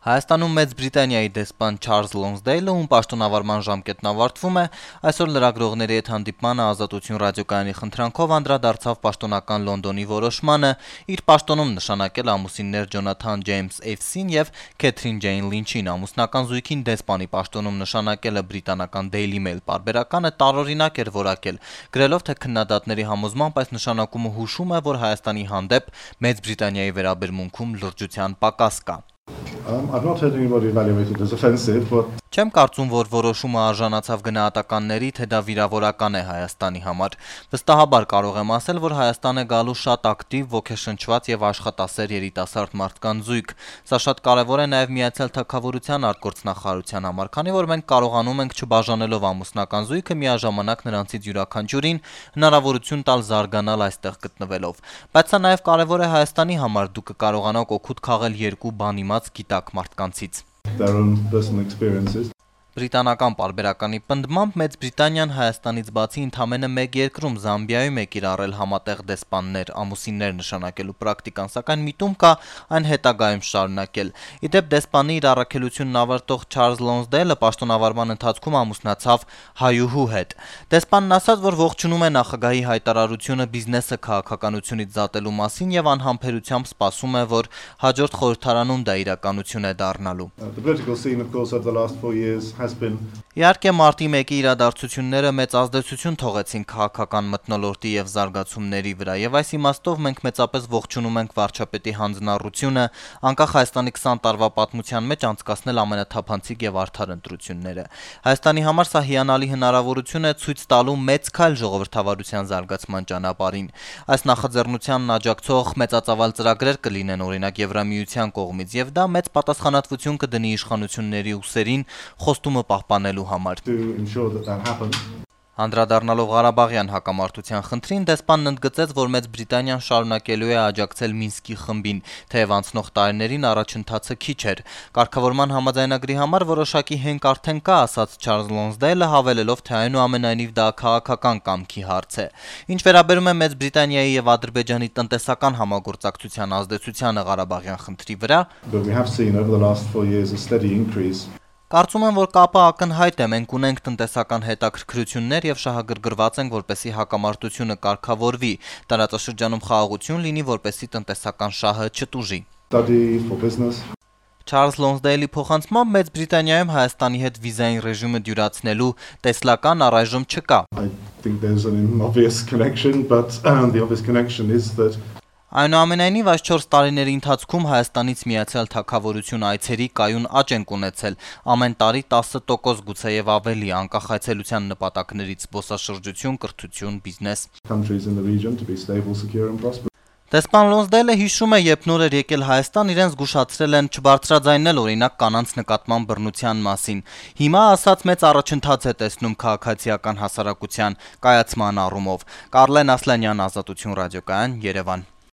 Հայաստանում Մեծ Բրիտանիայի դեսպան Չարլզ Լոնսդեյլը, ում պաշտոնավարման ժամկետն ավարտվում է, այսօր լրագրողների հետ հանդիպմանը Ազատություն ռադիոկայանի խնդրանքով անդրադարձավ պաշտոնական Լոնդոնի որոշմանը իր պաշտոնում նշանակել ամուսիններ Ջոնաթան Ջեյմս Էվսին եւ Քեթրին Ջեյն Լինչին։ Ամուսնական զույգին դեսպանի պաշտոնում նշանակելը բրիտանական Daily Mail պարբերականը տարօրինակ էր որակել, գրելով, թե քննադատների համոզմամբ այս նշանակումը հուշում է, որ Հայաստանի հանդեպ Մեծ Բրիտանիայի վերաբերմունքում լրջության պակաս կա։ I've not heard anybody evaluate it as offensive, but Չեմ կարծում, որ որոշումը արժանացավ գնահատականների, թե դա վիրավորական է Հայաստանի համար։ Վստահաբար կարող եմ ասել, որ Հայաստան է գալու շատ ակտիվ, ոգեշնչված եւ աշխատասեր երիտասարդ մարդկանց զույգ։ Սա շատ կարեւոր է նաեւ Միացյալ Թագավորության արտգործնախարարության համար, քանի որ մենք կարողանում ենք չբաժանելով ամուսնական զույգը միաժամանակ նրանցից յուրաքանչյուրին հնարավորություն տալ զարգանալ այստեղ գտնվելով։ Բայց սա նաեւ կարեւոր է Հայաստանի համար, դուք կկարողանաք օգուտ քաղել երկու բանիմաց գիտակ մարդկանցից։ their own personal experiences. Բրիտանական պարբերականի պնդմամբ Մեծ Բրիտանիան Հայաստանից բացի ընդամենը մեկ երկրում Զամբիայում է կիրառել համատեղ դեսպաններ, ամուսիններ նշանակելու պրակտիկան, սակայն միտում կա այն հետագայում շարունակել։ Իդեպ դեսպանի իր առաքելությունն ավարտող Չարլզ Լոնսդեյլը պաշտոնավարման ընթացքում ամուսնացավ հայուհու հետ։ Դեսպանն ասաց, որ ողջունում է նախագահի հայտարարությունը բիզնեսը քաղաքականությունից զատելու մասին եւ անհամբերությամբ սպասում է, որ հաջորդ խորհրդարանում դա իրականություն է դառնալու։ The political scene, of course, over the last 4 years has been Իհարկե մարտի 1-ի իրադարձությունները մեծ ազդեցություն թողեցին քաղաքական մթնոլորտի եւ զարգացումների վրա եւ այս իմաստով մենք մեծապես ողջունում ենք վարչապետի հանձնառությունը անկախ Հայաստանի 20 տարվա պատմության մեջ անցկացնել ամենաթափանցիկ եւ արդար ընտրությունները։ Հայաստանի համար սա հիանալի հնարավորություն է ցույց տալու մեծ քայլ ժողովրդավարության զարգացման ճանապարհին։ Այս նախաձեռնությանն աջակցող մեծածավալ ծրագրեր կլինեն օրինակ Եվրամիության կողմից եւ դա մեծ պատասխանատվություն կդնի իշխանությունների ուսերին խոստումը պահպանելու համար։ to ensure that happens. Անդրադառնալով Ղարաբաղյան հակամարտության խնդրին, դեսպանն ընդգծեց, որ Մեծ Բրիտանիան շարունակելու է աջակցել Մինսկի խմբին, թեև անցնող տարիներին առաջընթացը քիչ էր։ Կարգավորման համաձայնագրի համար որոշակի հենք արդեն կա, ասաց Չարլզ Լոնսդեյլը, հավելելով, թե այնուամենայնիվ դա քաղաքական կամքի հարց է։ Ինչ վերաբերում է Մեծ Բրիտանիայի եւ Ադրբեջանի տնտեսական համագործակցության ազդեցությանը Ղարաբաղյան խնդրի վրա, But we have seen over the last 4 years a steady increase. Կարծում եմ, որ կապը ակնհայտ է, մենք ունենք տնտեսական հետաքրքրություններ եւ շահագրգռված ենք, որպեսզի հակամարտությունը կարգավորվի, տարածաշրջանում խաղաղություն լինի, որպեսզի տնտեսական շահը չտուժի։ Study for business. Չարլզ Լոնսդեյլի փոխանցմամբ Մեծ Բրիտանիայում Հայաստանի հետ վիզային ռեժիմը դյուրացնելու տեսլական առայժմ չկա։ I think there's an obvious connection, but the obvious connection is that Այնուամենայնիվ այս 4 տարիների ընթացքում Հայաստանից Միացյալ Թագավորություն այցերի կայուն աճ են ունեցել, ամեն տարի 10% գուցեև ավելի, անկախ այցելության նպատակներից՝ զբոսաշրջություն, կրթություն, բիզնես։ countries in the region to be stable, secure and prosperous. Դեսպան Լոնսդեյլը հիշում է, երբ նոր էր եկել Հայաստան, իրեն զգուշացրել են չբարձրաձայնել օրինակ կանանց նկատմամբ բռնության մասին։ Հիմա ասած մեծ առաջընթաց է տեսնում քաղաքացիական հասարակության կայացման առումով։ Կարլեն Ասլանյան, Ազատություն ռադիոկայան, Երևան։